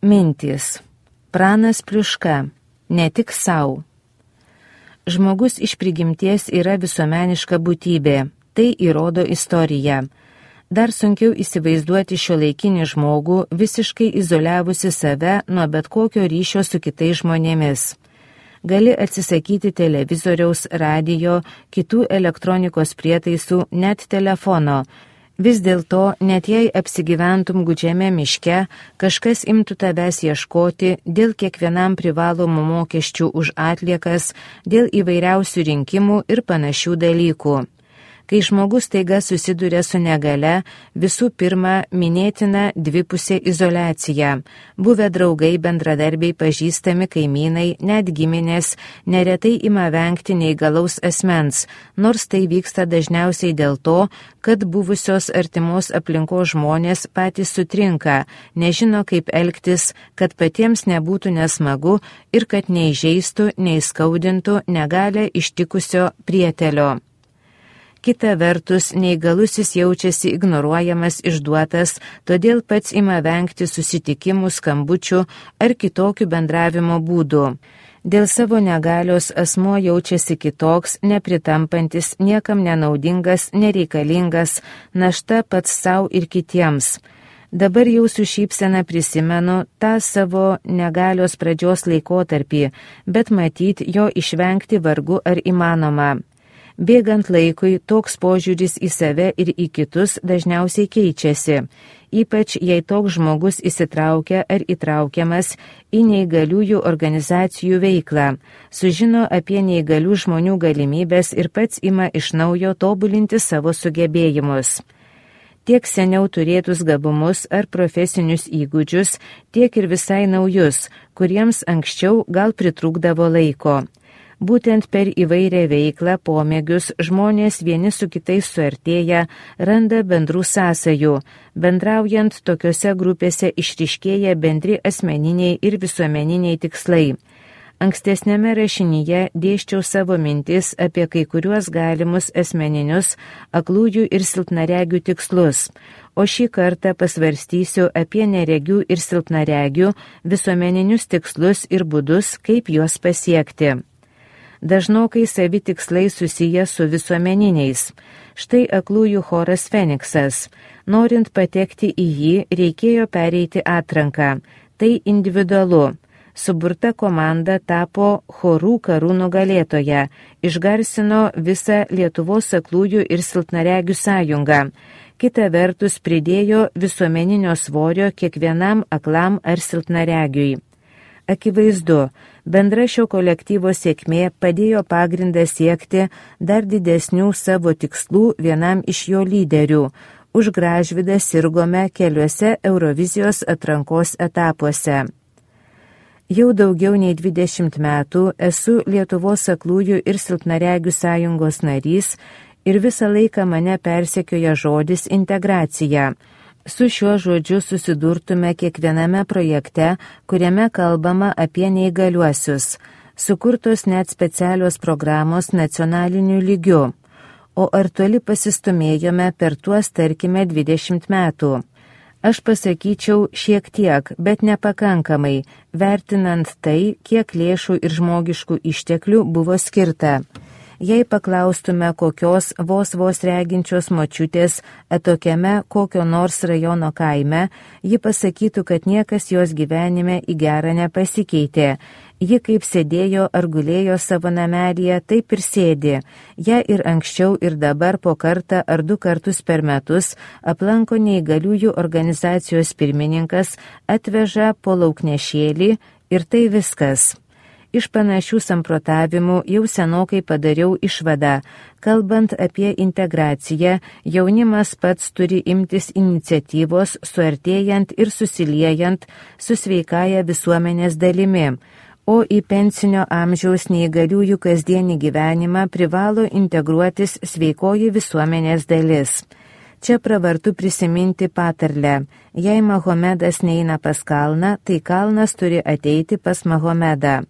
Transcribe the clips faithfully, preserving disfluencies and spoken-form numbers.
Mintys. Pranas Pliuška. Ne tik sau. Žmogus iš prigimties yra visuomeniška būtybė. Tai įrodo istorija. Dar sunkiau įsivaizduoti šiuolaikinį žmogų visiškai izoliavusi save nuo bet kokio ryšio su kitais žmonėmis. Gali atsisakyti televizoriaus, radijo, kitų elektronikos prietaisų, net telefono. Vis dėlto, net jei apsigyventum gūdžiame miške, kažkas imtų tavęs ieškoti dėl kiekvienam privalomų mokesčių už atliekas, dėl įvairiausių rinkimų ir panašių dalykų. Kai žmogus taiga susiduria su negale, visų pirma minėtina dvipusė izoliacija. Buvę draugai, bendradarbiai, pažįstami kaimynai, net giminės, neretai ima vengti neįgalaus asmens, nors tai vyksta dažniausiai dėl to, kad buvusios artimos aplinkos žmonės patys sutrinka, nežino kaip elgtis, kad patiems nebūtų nesmagu ir kad neįžeistų, neįskaudintų negalę ištikusio prietelio. Kita vertus, neįgalusis jaučiasi ignoruojamas, išduotas, todėl pats ima vengti susitikimų, skambučių ar kitokių bendravimo būdų. Dėl savo negalios asmuo jaučiasi kitoks, nepritampantis, niekam nenaudingas, nereikalingas, našta pats sau ir kitiems. Dabar jau su šypsena prisimenu tą savo negalios pradžios laikotarpį, bet matyt, jo išvengti vargu ar įmanoma. Bėgant laikui, toks požiūris į save ir į kitus dažniausiai keičiasi, ypač jei toks žmogus įsitraukia ar įtraukiamas į neįgaliųjų organizacijų veiklą, sužino apie neįgalių žmonių galimybės ir pats ima iš naujo tobulinti savo sugebėjimus. Tiek seniau turėtus gabumus ar profesinius įgūdžius, tiek ir visai naujus, kuriems anksčiau gal pritrūkdavo laiko. Būtent per įvairią veiklą, pomėgius, žmonės vieni su kitais suartėja, randa bendrų sąsajų. Bendraujant tokiose grupėse išryškėja bendri asmeniniai ir visuomeniniai tikslai. Ankstesnėme rašinyje dėsčiau savo mintis apie kai kuriuos galimus asmeninius, aklųjų ir silpnaregių tikslus, o šį kartą pasvarstysiu apie neregių ir silpnaregių visuomeninius tikslus ir būdus, kaip juos pasiekti. Dažnokai savi tikslai susiję su visuomeniniais. Štai aklųjų choras Feniksas. Norint patekti į jį, reikėjo pereiti atranką. Tai individualu. Suburta komanda tapo chorų karų nugalėtoja, išgarsino visą Lietuvos aklųjų ir silpnaregių sąjungą. Kita vertus pridėjo visuomeninio svorio kiekvienam aklam ar silpnaregiui. Akivaizdu, bendra šio kolektyvo sėkmė padėjo pagrindą siekti dar didesnių savo tikslų vienam iš jo lyderių. Už Gražvydą sirgome keliuose Eurovizijos atrankos etapuose. Jau daugiau nei dvidešimt metų esu Lietuvos aklųjų ir silpnaregių sąjungos narys ir visą laiką mane persekioja žodis integracija. Su šiuo žodžiu susidurtume kiekviename projekte, kuriame kalbama apie neįgaliuosius. Sukurtos net specialios programos nacionaliniu lygiu. O ar toli pasistumėjome per tuos, tarkime, dvidešimt metų? Aš pasakyčiau šiek tiek, bet nepakankamai, vertinant tai, kiek lėšų ir žmogiškų išteklių buvo skirta. Jei paklaustume kokios vos vos reginčios močiutės atokiame kokio nors rajono kaime, ji pasakytų, kad niekas jos gyvenime į gerą nepasikeitė. Ji kaip sėdėjo ar gulėjo savo namelyje, taip ir sėdi. Ja ir anksčiau ir dabar po kartą ar du kartus per metus aplanko neįgaliųjų organizacijos pirmininkas, atveža po lauknešėlį ir tai viskas. Iš panašių samprotavimų jau senokai padariau išvadą. Kalbant apie integraciją, jaunimas pats turi imtis iniciatyvos, suartėjant ir susiliejant su sveikaja visuomenės dalimi, o į pensinio amžiaus neįgaliųjų kasdienį gyvenimą privalo integruotis sveikoji visuomenės dalis. Čia pravartu prisiminti patarlę. Jei Mahomedas neina pas kalną, tai kalnas turi ateiti pas Mahomedą.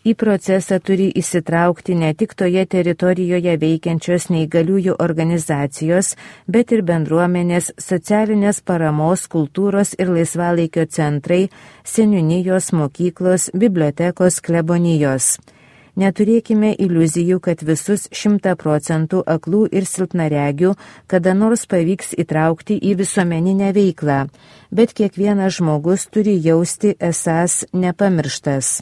Į procesą turi įsitraukti ne tik toje teritorijoje veikiančios neįgaliųjų organizacijos, bet ir bendruomenės, socialinės paramos, kultūros ir laisvalaikio centrai, seniūnijos, mokyklos, bibliotekos, klebonijos. Neturėkime iliuzijų, kad visus šimtą procentų aklų ir silpnaregių kada nors pavyks įtraukti į visuomeninę veiklą, bet kiekvienas žmogus turi jausti esąs nepamirštas.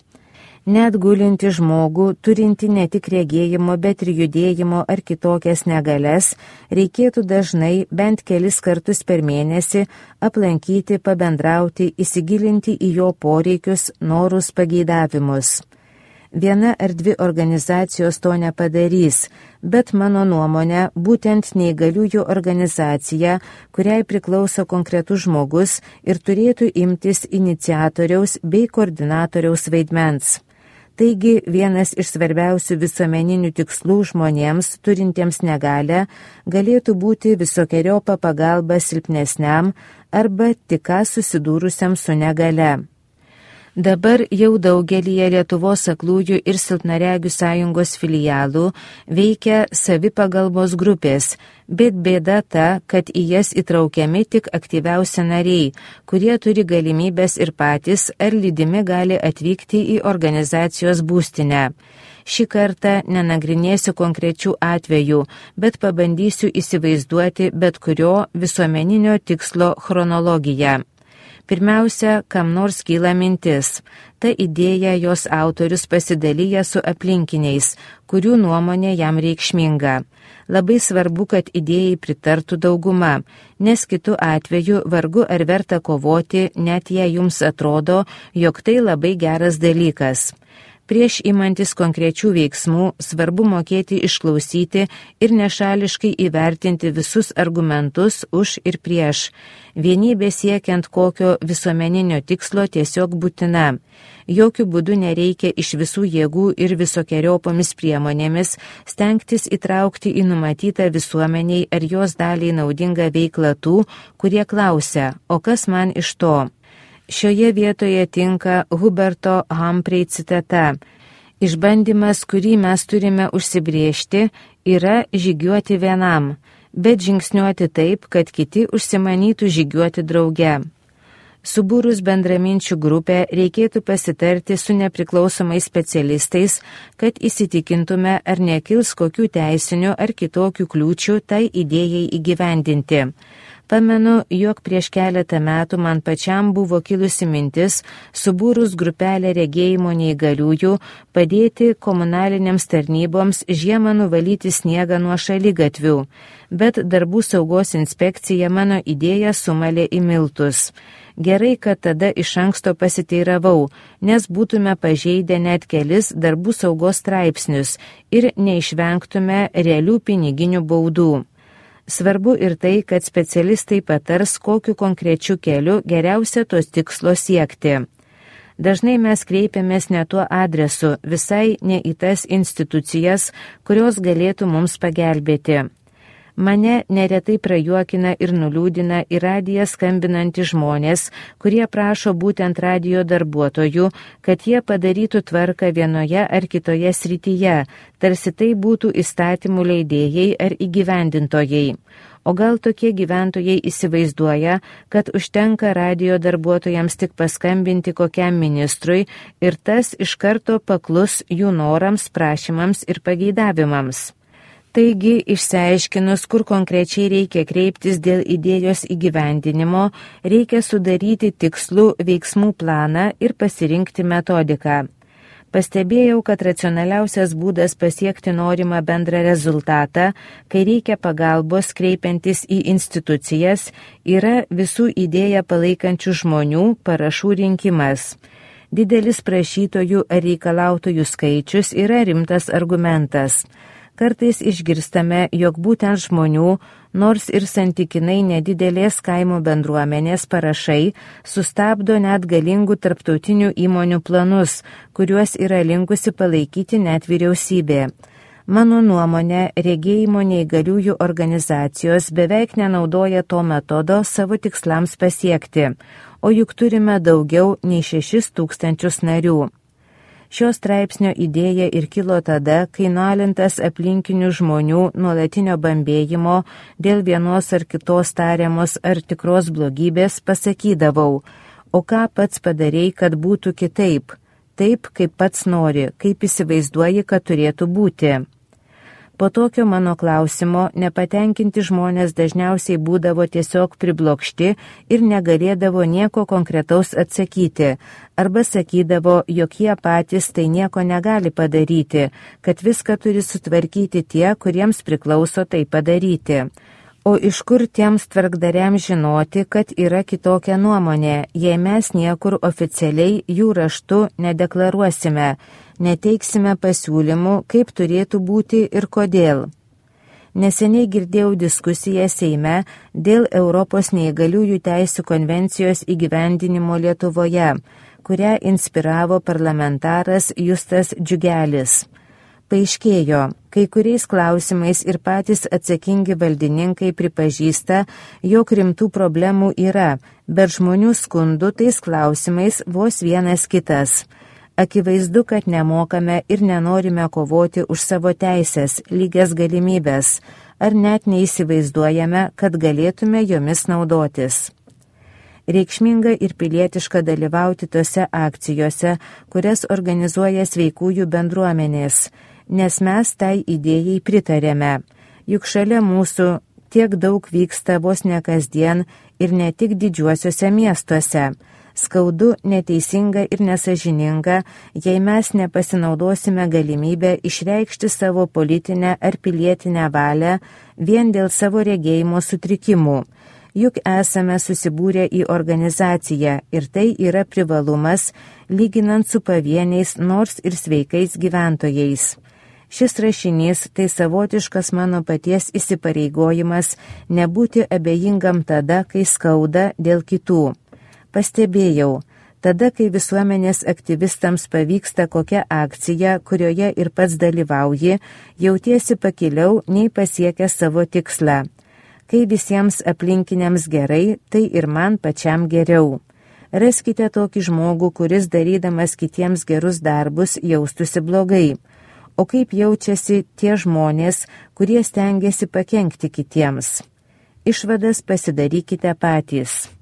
Net gulinti žmogų, turinti ne tik regėjimo, bet ir judėjimo ar kitokias negalias, reikėtų dažnai bent kelis kartus per mėnesį aplankyti, pabendrauti, įsigilinti į jo poreikius, norus, pageidavimus. Viena ar dvi organizacijos to nepadarys, bet mano nuomonė, būtent neįgaliųjų organizacija, kuriai priklauso konkretus žmogus ir turėtų imtis iniciatoriaus bei koordinatoriaus vaidmens. Taigi vienas iš svarbiausių visuomeninių tikslų žmonėms, turintiems negalią, galėtų būti visokeriopą pagalbą silpnesniam arba tik ką susidūrusiam su negale. Dabar jau daugelyje Lietuvos aklųjų ir silpnaregių sąjungos filialų veikia savipagalbos grupės, bet bėda ta, kad į jas įtraukiami tik aktyviausi nariai, kurie turi galimybės ir patys ar lydimi gali atvykti į organizacijos būstinę. Šį kartą nenagrinėsiu konkrečių atvejų, bet pabandysiu įsivaizduoti bet kurio visuomeninio tikslo chronologiją. Pirmiausia, kam nors kyla mintis. Ta idėja jos autorius pasidalyja su aplinkiniais, kurių nuomonė jam reikšminga. Labai svarbu, kad idėjai pritartų dauguma, nes kitu atveju vargu ar verta kovoti, net jei jums atrodo, jog tai labai geras dalykas. Prieš imantis konkrečių veiksmų svarbu mokėti išklausyti ir nešališkai įvertinti visus argumentus už ir prieš. Vienybė siekiant kokio visuomeninio tikslo tiesiog būtina. Jokių būdų nereikia iš visų jėgų ir visokiojopomis priemonėmis stengtis įtraukti į numatytą visuomeniai ar jos daliai naudingą veiklą tų, kurie klausia, o kas man iš to? Šioje vietoje tinka Huberto Humphrey citata. Išbandymas, kurį mes turime užsibriežti, yra žygiuoti vienam, bet žingsniuoti taip, kad kiti užsimanytų žygiuoti drauge. Subūrus bendraminčių grupę reikėtų pasitarti su nepriklausomais specialistais, kad įsitikintume, ar nekils kokių teisinių ar kitokių kliūčių tai idėjai įgyvendinti. Pamenu, jog prieš keletą metų man pačiam buvo kilusi mintis, subūrus grupelę regėjimo neįgaliųjų, padėti komunalinėms tarnyboms žiemą nuvalyti sniegą nuo šaligatvių, bet darbų saugos inspekcija mano idėją sumalė į miltus. Gerai, kad tada iš anksto pasiteiravau, nes būtume pažeidę net kelis darbų saugos straipsnius ir neišvengtume realių piniginių baudų. Svarbu ir tai, kad specialistai patars, kokiu konkrečiu keliu geriausia tos tikslo siekti. Dažnai mes kreipiamės ne tuo adresu, visai ne į tas institucijas, kurios galėtų mums pagelbėti. Mane neretai prajuokina ir nuliūdina į radiją skambinantys žmonės, kurie prašo būtent radijo darbuotojų, kad jie padarytų tvarką vienoje ar kitoje srityje, tarsi tai būtų įstatymų leidėjai ar įgyvendintojai. O gal tokie gyventojai įsivaizduoja, kad užtenka radijo darbuotojams tik paskambinti kokiam ministrui ir tas iš karto paklus jų norams, prašymams ir pageidavimams. Taigi, išsiaiškinus, kur konkrečiai reikia kreiptis dėl idėjos įgyvendinimo, reikia sudaryti tikslų veiksmų planą ir pasirinkti metodiką. Pastebėjau, kad racionaliausias būdas pasiekti norimą bendrą rezultatą, kai reikia pagalbos kreipiantis į institucijas, yra visų idėją palaikančių žmonių parašų rinkimas. Didelis prašytojų ar reikalautojų skaičius yra rimtas argumentas. Kartais išgirstame, jog būtent žmonių, nors ir santykinai nedidelės kaimo bendruomenės parašai, sustabdo net galingų tarptautinių įmonių planus, kuriuos yra linkusi palaikyti net vyriausybė. Mano nuomonė, regėjimo neįgaliųjų organizacijos beveik nenaudoja to metodo savo tikslams pasiekti, o juk turime daugiau nei šešis tūkstančius narių. Šio straipsnio idėja ir kilo tada, kai nualintas aplinkinių žmonių nuolatinio bambėjimo dėl vienos ar kitos tariamos ar tikros blogybės pasakydavau, o ką pats padarei, kad būtų kitaip, taip, kaip pats nori, kaip įsivaizduoji, kad turėtų būti. Po tokio mano klausimo nepatenkinti žmonės dažniausiai būdavo tiesiog priblokšti ir negalėdavo nieko konkretaus atsakyti, arba sakydavo, jog jie patys tai nieko negali padaryti, kad viską turi sutvarkyti tie, kuriems priklauso tai padaryti. O iš kur tiems tvarkdariams žinoti, kad yra kitokia nuomonė, jei mes niekur oficialiai jų raštu nedeklaruosime, neteiksime pasiūlymų, kaip turėtų būti ir kodėl. Neseniai girdėjau diskusiją Seime dėl Europos neįgaliųjų teisių konvencijos įgyvendinimo Lietuvoje, kurią inspiravo parlamentaras Justas Džiugelis. Paaiškėjo, kai kuriais klausimais ir patys atsakingi valdininkai pripažįsta, jog rimtų problemų yra, bet žmonių skundų tais klausimais vos vienas kitas. Akivaizdu, kad nemokame ir nenorime kovoti už savo teisės, lygias galimybės, ar net neįsivaizduojame, kad galėtume jomis naudotis. Reikšminga ir pilietiška dalyvauti tose akcijose, kurias organizuoja sveikųjų bendruomenės, nes mes tai idėjai pritarėme. Juk šalia mūsų tiek daug vyksta vos ne kasdien ir ne tik didžiuosiuose miestuose. Skaudu, neteisinga ir nesažininga, jei mes nepasinaudosime galimybę išreikšti savo politinę ar pilietinę valią vien dėl savo regėjimo sutrikimų. Juk esame susibūrę į organizaciją ir tai yra privalumas, lyginant su pavieniais nors ir sveikais gyventojais. Šis rašinys tai savotiškas mano paties įsipareigojimas nebūti abejingam tada, kai skauda dėl kitų. Pastebėjau, tada, kai visuomenės aktyvistams pavyksta kokia akcija, kurioje ir pats dalyvauji, jautiesi pakiliau nei pasiekę savo tikslą. Kai visiems aplinkiniams gerai, tai ir man pačiam geriau. Raskite tokį žmogų, kuris darydamas kitiems gerus darbus jaustųsi blogai. O kaip jaučiasi tie žmonės, kurie stengiasi pakenkti kitiems? Išvadas pasidarykite patys.